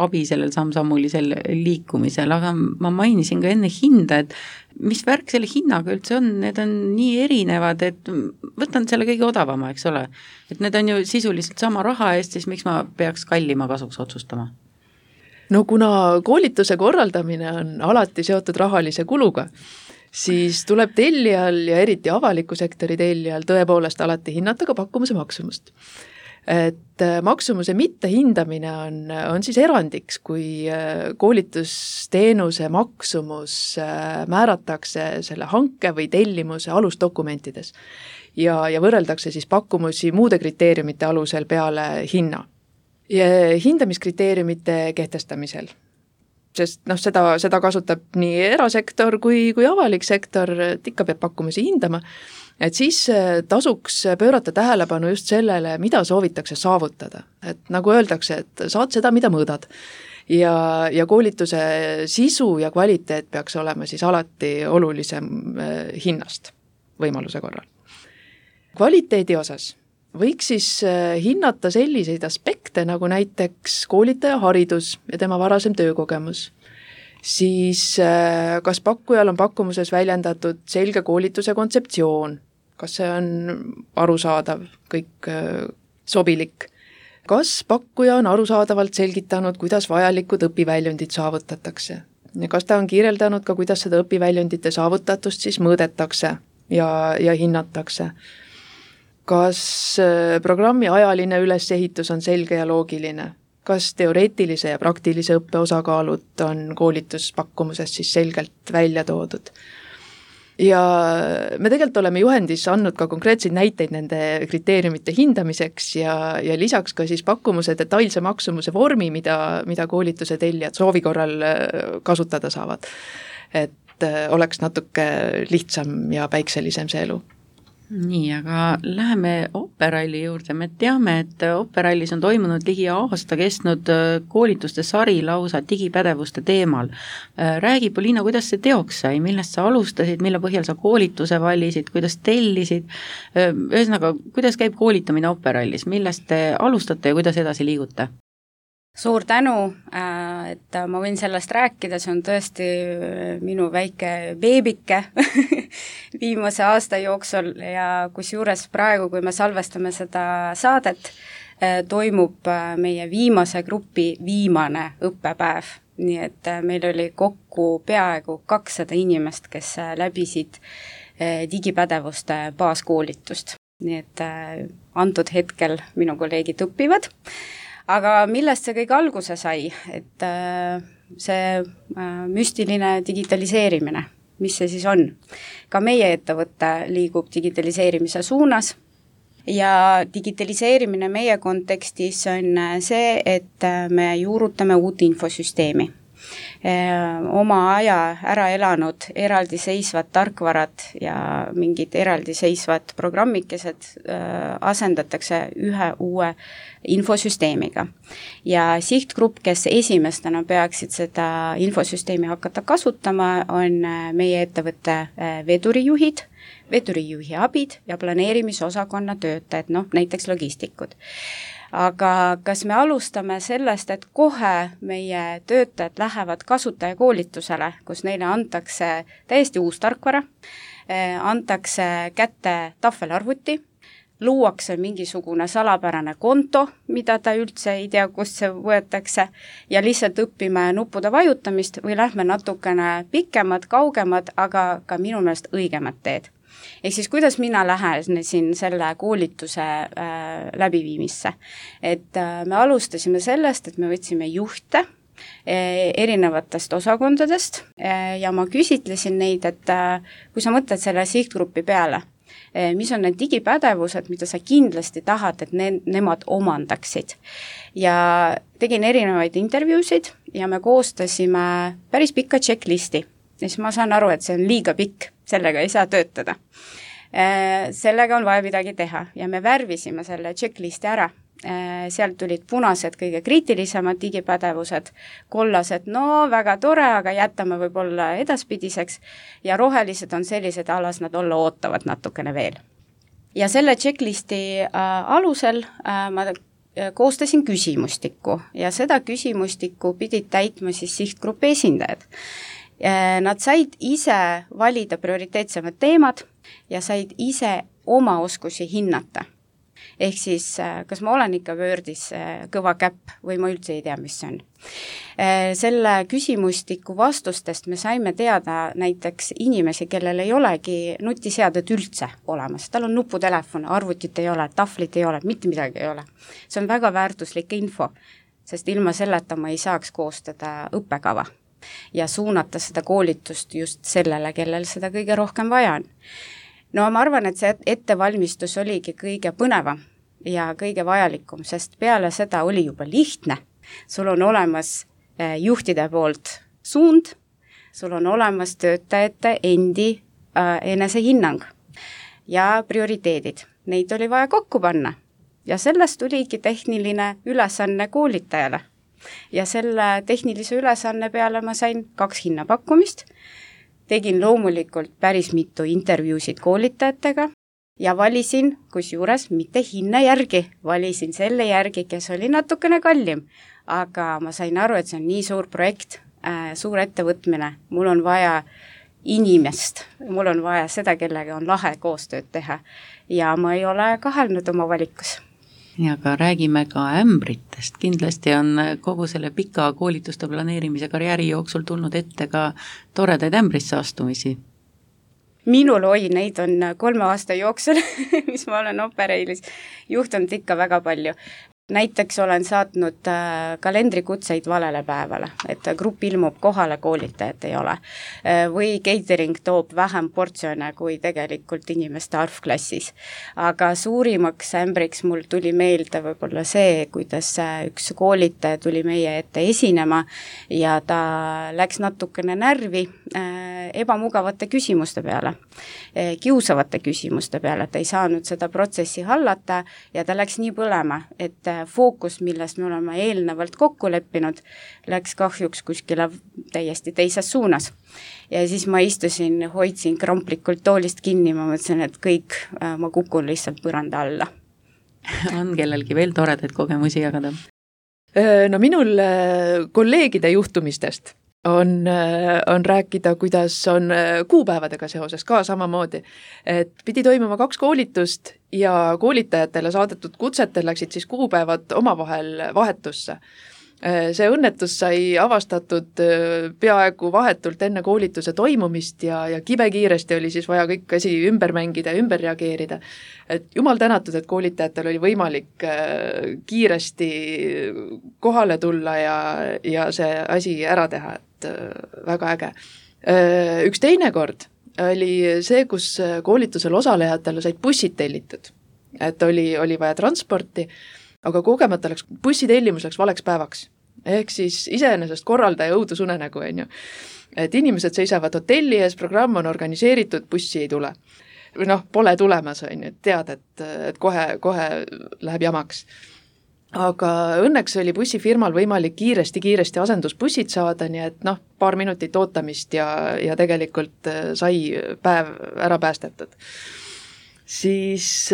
abi sellel samm-sammulisel liikumisel, aga ma mainisin ka enne hinda, et mis värk selle hinnaga üldse on, need on nii erinevad, et võtan selle kõige odavama, eks ole. Et need on ju sisuliselt sama raha eest, siis miks ma peaks kallima kasuks otsustama? No kuna koolituse korraldamine on alati seotud rahalise kuluga, siis tuleb tellijal ja eriti avaliku sektori tellijal tõepoolest alati hinnata ka pakkumuse maksumust. Et maksumuse mittehindamine on siis erandiks, kui koolitusteenuse maksumus määratakse selle hanke või tellimuse alusdokumentides ja võrreldakse siis pakkumusi muude kriteeriumite alusel peale hinna. Ja hindamiskriteeriumite kehtestamisel, sest seda kasutab nii erasektor kui avalik sektor, et ikka peab pakkumusi hindama, et siis tasuks pöörata tähelepanu just sellele, mida soovitakse saavutada. Et nagu öeldakse, et saad seda, mida mõõdad. Ja koolituse sisu ja kvaliteet peaks olema siis alati olulisem hinnast võimaluse korral. Kvaliteedi osas võiks siis hinnata selliseid aspekte nagu näiteks koolitaja haridus ja tema varasem töökogemus. Siis kas pakkujal on pakkumuses väljendatud selge koolituse kontseptsioon, kas see on arusaadav, kõik sobilik. kas pakkuja on arusaadavalt selgitanud, kuidas vajalikud õpiväljundid saavutatakse ja kas ta on kirjeldanud ka, kuidas seda õpiväljundite saavutatust siis mõõdetakse ja hinnatakse. Kas programmi ajaline ülesehitus on selge ja loogiline, kas teoreetilise ja praktilise õppe osakaalud on koolituspakkumusest siis selgelt välja toodud. Ja me tegelikult oleme juhendis andnud ka konkreetseid näiteid nende kriteeriumite hindamiseks ja lisaks ka siis pakkumuse detailse maksumuse vormi, mida koolituse tellijad soovi korral kasutada saavad. Et oleks natuke lihtsam ja päikselisem see elu. Nii, aga läheme Operalli juurde. Me teame, et Operallis on toimunud ligi aasta kestnud koolituste sari lausa digipädevuste teemal. Räägi, Poliina, kuidas see teoks sai, millest sa alustasid, mille põhjal sa koolituse valisid, kuidas tellisid, ühesõnaga, kuidas käib koolitamine Operallis, millest te alustate ja kuidas edasi liigute? Suur tänu, et ma võin sellest rääkida, see on tõesti minu väike beebike viimase aasta jooksul ja kusjuures praegu, kui me salvestame seda saadet, toimub meie viimase grupi viimane õppepäev. Nii et meil oli kokku peaaegu 200 inimest, kes läbisid digipädevuste baaskoolitust. Nii et antud hetkel minu kolleegid õpivad. Aga millest see kõik alguse sai, et see müstiline digitaliseerimine, mis see siis on? Ka meie ettevõte liigub digitaliseerimise suunas ja digitaliseerimine meie kontekstis on see, et me juurutame uut infosüsteemi. Oma aja ära elanud eraldiseisvad tarkvarad ja mingid eraldiseisvad programmikesed asendatakse ühe uue infosüsteemiga. Ja sihtgrupp, kes esimestena peaksid seda infosüsteemi hakata kasutama, on meie ettevõtte vedurijuhid, vedurijuhi abid ja planeerimisosakonna töötajad, näiteks logistikud. Aga kas me alustame sellest, et kohe meie töötajad lähevad kasutajakoolitusele, kus neile antakse täiesti uus tarkvara, antakse kätte tahvelarvuti, luuakse mingisugune salapärane konto, mida ta üldse ei tea, kust see võetakse, ja lihtsalt õpime nuppude vajutamist või lähme natukene pikemad, kaugemad, aga ka minu meelest õigemad teed. Ehk siis kuidas mina lähenesin selle koolituse läbiviimisse. Et me alustasime sellest, et me võtsime juhte erinevatest osakondadest ja ma küsitlesin neid, et kui sa mõtled selle sihtgrupi peale, mis on need digipädevused, mida sa kindlasti tahad, et nemad omandaksid. Ja tegin erinevaid intervjuusid ja me koostasime päris pikka checklisti. Ja siis ma saan aru, et see on liiga pikk, sellega ei saa töötada. Sellega on vaja midagi teha ja me värvisime selle checklisti ära. Sealt tulid punased kõige kriitilisemad digipädevused, kollased, väga tore, aga jätame võib-olla edaspidiseks ja rohelised on sellised alas, nad olla ootavad natukene veel. Ja selle checklisti alusel ma koostasin küsimustikku ja seda küsimustikku pidid täitma siis sihtgrupi esindajad. Nad said ise valida prioriteetsemad teemad ja said ise oma oskusi hinnata. Ehk siis, kas ma olen ikka Wordis kõva käpp või ma üldse ei tea, mis see on. Selle küsimustiku vastustest me saime teada näiteks inimesi, kellel ei olegi nutiseadet üldse olemas. Tal on nuputelefon, arvutit ei ole, tahvlit ei ole, mitte midagi ei ole. See on väga väärtuslik info, sest ilma selleta ma ei saaks koostada õppekava ja suunata seda koolitust just sellele, kellel seda kõige rohkem vaja on. No ma arvan, et see ettevalmistus oligi kõige põnevam ja kõige vajalikum, sest peale seda oli juba lihtne. Sul on olemas juhtide poolt suund, sul on olemas töötajate endi enesehinnang ja prioriteedid. Neid oli vaja kokku panna ja sellest tuligi tehniline ülesanne koolitajale. Ja selle tehnilise ülesanne peale ma sain 2 hinnapakkumist, tegin loomulikult päris mitu intervjuusid koolitajatega ja valisin, kusjuures mitte hinna järgi, valisin selle järgi, kes oli natukene kallim, aga ma sain aru, et see on nii suur projekt, suur ettevõtmine, mul on vaja inimest, mul on vaja seda, kellega on lahe koostööd teha ja ma ei ole kahelnud oma valikus. ja ka räägime ka ämbritest, kindlasti on kogu selle pika koolituste planeerimise karjääri jooksul tulnud ette ka toredaid ämbrisse astumisi. Minul neid on 3 aasta jooksul, mis ma olen Opereilis juhtunud ikka väga palju. Näiteks olen saatnud kalendrikutseid valele päevale, et grupp ilmub kohale, koolitajat ei ole. Või catering toob vähem portsjone kui tegelikult inimeste arv klassis. Aga suurimaks ämbriks mul tuli meelde võib-olla see, kuidas üks koolitaja tuli meie ette esinema ja ta läks natukene närvi ebamugavate küsimuste peale, kiusavate küsimuste peale, et ei saanud seda protsessi hallata ja ta läks nii põlema, et fookus, millest me oleme eelnevalt kokku leppinud, läks kahjuks kuskile täiesti teises suunas. Ja siis ma istusin, hoidsin kramplikult toolist kinni, ma mõtlesin, et kõik, ma kukun lihtsalt põranda alla. On kellelgi veel toredaid kogemusi jagada? No minul kolleegide juhtumistest on rääkida, kuidas on kuupäevadega seoses ka samamoodi, et pidi toimuma 2 koolitust ja koolitajatele saadetud kutsetel läksid siis kuupäevad omavahel vahetusse. See õnnetus sai avastatud peaaegu vahetult enne koolituse toimumist ja kibekiiresti oli siis vaja kõik asi ümber mängida ja ümber reageerida. Et jumal tänatud, et koolitajatel oli võimalik kiiresti kohale tulla ja see asi ära teha, et väga äge. Üks teine kord oli see, kus koolitusel osalejatele said bussid tellitud, et oli vaja transporti, aga kogemata läks bussitellimus läks valeks päevaks. Ehk siis iseenesest korraldaja õudusunenägu, on ju. Et inimesed seisavad hotelli ees, programm on organiseeritud, bussi ei tule. Või pole tulemas, on ju, tead, et kohe läheb jamaks. Aga õnneks oli bussifirmal võimalik kiiresti asendusbussid saada, nii et paar minutit ootamist ja tegelikult sai päev ära päästetud. Siis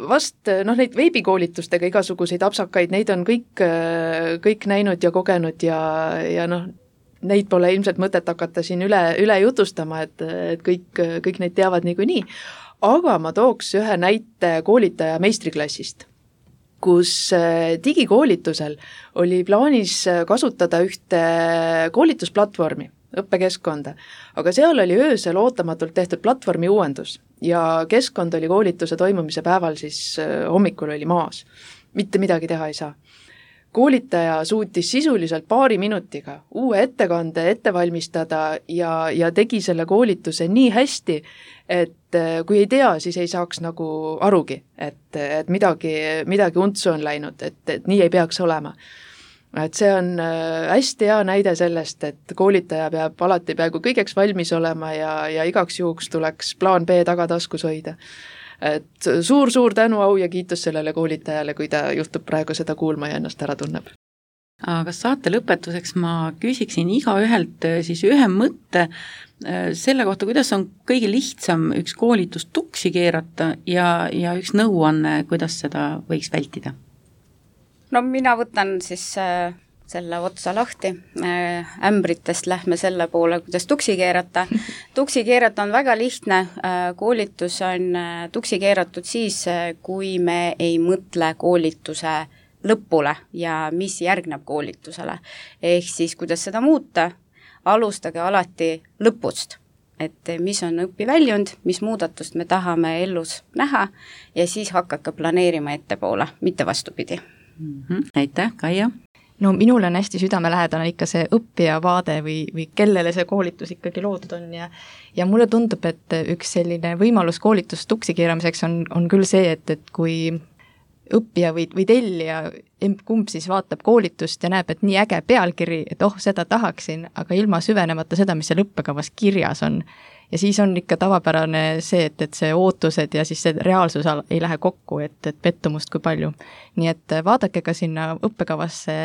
vast neid veebikoolitustega igasuguseid apsakaid, neid on kõik näinud ja kogenud ja neid pole ilmselt mõtet hakata siin üle jutustama, et kõik neid teavad niikuinii. Aga ma tooks ühe näite koolitaja meistriklassist, kus digikoolitusel oli plaanis kasutada ühte koolitusplatvormi, õppekeskkonda, aga seal oli öösel ootamatult tehtud platvormi uuendus ja keskkond oli koolituse toimumise päeval siis hommikul oli maas. Mitte midagi teha ei saa. Koolitaja suutis sisuliselt 2 minutiga uue ettekande ette valmistada ja tegi selle koolituse nii hästi, et kui ei tea, siis ei saaks nagu arugi, et midagi untsu on läinud, et nii ei peaks olema. Et see on hästi hea näide sellest, et koolitaja peab alati peaaegu kõigeks valmis olema ja igaks juhuks tuleks plaan B tagataskus hoida. Et suur tänu, au ja kiitus sellele koolitajale, kui ta juhtub praegu seda kuulma ja ennast ära tunneb. Aga saate lõpetuseks ma küsiksin igaühelt siis ühe mõtte selle kohta, kuidas on kõige lihtsam üks koolitus tuksi keerata ja üks nõuanne, kuidas seda võiks vältida? No mina võtan siis selle otsa lahti, ämbritest lähme selle poole, kuidas tuksi keerata. Tuksi keerata on väga lihtne, koolitus on tuksi keeratud siis, kui me ei mõtle koolituse lõpule ja mis järgneb koolitusele. Ehk siis, kuidas seda muuta, alustage alati lõpust, et mis on õpiväljund, mis muudatust me tahame ellus näha ja siis hakake planeerima ettepoole, mitte vastupidi. Aitäh, Kaia! No minul on hästi südamelähedane ikka see õppija vaade või kellele see koolitus ikkagi loodud on ja mulle tundub, et üks selline võimalus koolitust tuksi keeramiseks on küll see, et kui õppija või tellija, kumb siis vaatab koolitust ja näeb, et nii äge pealkiri, et seda tahaksin, aga ilma süvenemata seda, mis seal õppekavas kirjas on. Ja siis on ikka tavapärane see, et see ootused ja siis see reaalsus ei lähe kokku, et pettumust kui palju. Nii et vaadake ka sinna õppekavasse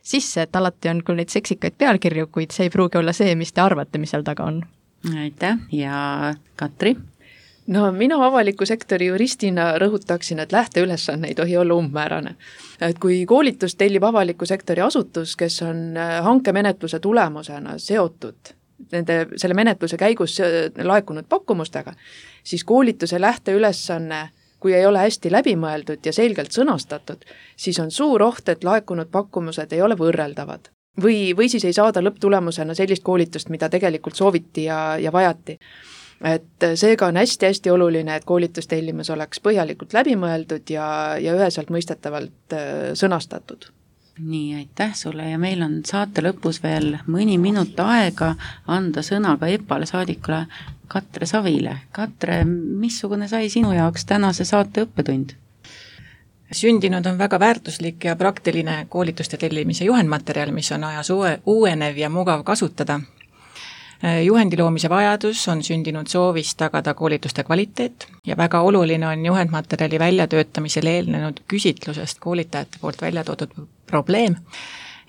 sisse, et alati on küll neid seksikaid pealkirju, kuid see ei pruugi olla see, mis te arvate, mis seal taga on. Aitäh ja Katri? No mina avaliku sektori juristina rõhutaksin, et lähteülesanne ei tohi olla umbmäärane. Et kui koolitust tellib avaliku sektori asutus, kes on hankemenetluse tulemusena seotud selle menetluse käigus laekunud pakkumustega, siis koolituse lähteülesanne kui ei ole hästi läbimõeldud ja selgelt sõnastatud, siis on suur oht, et laekunud pakkumused ei ole võrreldavad. Või siis ei saada lõpptulemusena sellist koolitust, mida tegelikult sooviti ja vajati. Et seega on hästi-hästi oluline, et koolitustellimus oleks põhjalikult läbimõeldud ja üheselt mõistetavalt sõnastatud. Nii, aitäh sulle ja meil on saate lõpus veel mõni minut aega anda sõna ka EPALE saadikule Katre Savile. Katre, missugune sai sinu jaoks tänase saate õppetund? Sündinud on väga väärtuslik ja praktiline koolituste tellimise juhendmaterjal, mis on ajas uuenev ja mugav kasutada. Juhendi loomise vajadus on sündinud soovist tagada koolituste kvaliteet ja väga oluline on juhendmaterjali väljatöötamisel eelnenud küsitlusest koolitajate poolt välja toodud probleem,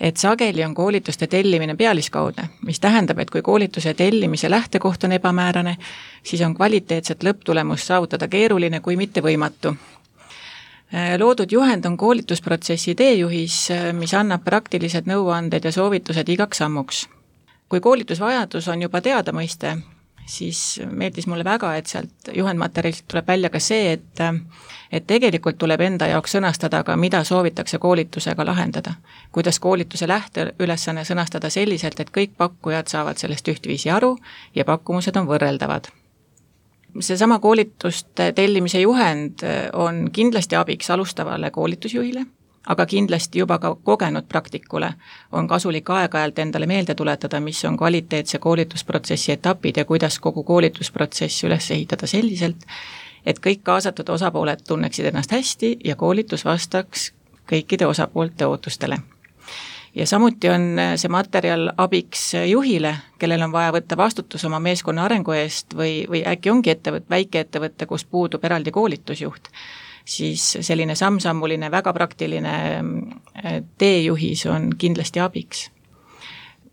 et sageli on koolituste tellimine pealiskaudne, mis tähendab, et kui koolituse tellimise lähtekoht on ebamäärane, siis on kvaliteetset lõpptulemust saavutada keeruline kui mitte võimatu. Loodud juhend on koolitusprotsessi teejuhis, mis annab praktilised nõuanded ja soovitused igaks sammuks. Kui koolitusvajadus on juba teada mõiste, siis meeldis mulle väga, et sealt juhendmaterjalilt tuleb välja ka see, et tegelikult tuleb enda jaoks sõnastada ka, mida soovitakse koolitusega lahendada. Kuidas koolituse lähteülesanne sõnastada selliselt, et kõik pakkujad saavad sellest ühtviisi aru ja pakkumused on võrreldavad. Seesama koolituste tellimise juhend on kindlasti abiks alustavale koolitusjuhile, aga kindlasti juba ka kogenud praktikule on kasulik aeg-ajalt endale meelde tuletada, mis on kvaliteetse koolitusprotsessi etapid ja kuidas kogu koolitusprotsess üles ehitada selliselt, et kõik kaasatud osapooled tunneksid ennast hästi ja koolitus vastaks kõikide osapoolte ootustele. Ja samuti on see materjal abiks juhile, kellel on vaja võtta vastutus oma meeskonna arengu eest või äkki ongi väike ettevõtte, kus puudub eraldi koolitusjuht, siis selline samm-sammuline, väga praktiline teejuhis on kindlasti abiks.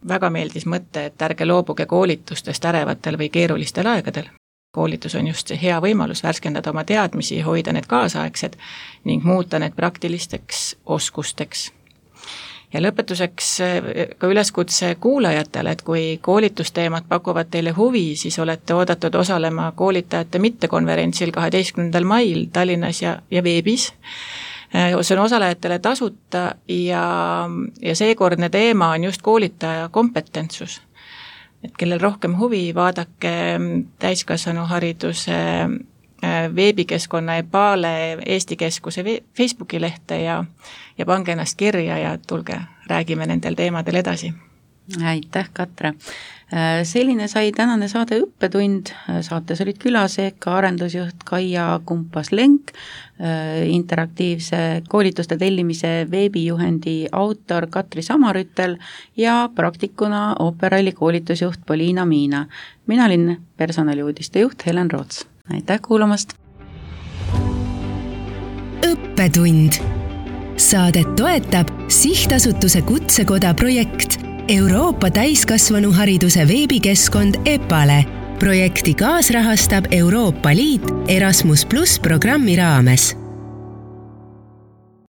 Väga meeldis mõte, et ärge loobuge koolitustest ärevatel või keerulistel aegadel. Koolitus on just see hea võimalus värskendada oma teadmisi, hoida need kaasaegsed ning muuta need praktilisteks oskusteks. Ja lõpetuseks ka üleskutse kuulajatele, et kui koolitusteemad pakuvad teile huvi, siis olete oodatud osalema koolitajate mittekonverentsil 12. mail Tallinnas ja veebis. See on osalejatele tasuta ja seekordne teema on just koolitaja kompetentsus. Et kellel rohkem huvi, vaadake täiskasvanuhariduse veebikeskkonna EPALE Eesti Keskuse Facebooki lehte ja pange ennast kirja ja tulge, räägime nendel teemadel edasi. Aitäh, Katre! Selline sai tänane saade õppetund. Saates olid külas EKA arendusjuht Kaia Kumpas-Lenk, interaktiivse koolituste tellimise veebijuhendi autor Katri Samarüttel ja praktikuna Operali koolitusjuht Poliina Miina. Mina olin personaliuudiste juht Helen Roots. Aitäh kuulamast! Õppetund. Saadet toetab Sihtasutuse Kutsekoda projekt Euroopa täiskasvanuhariduse veebikeskkond EPALE. Projekti kaasrahastab Euroopa Liit Erasmus+ programmi raames.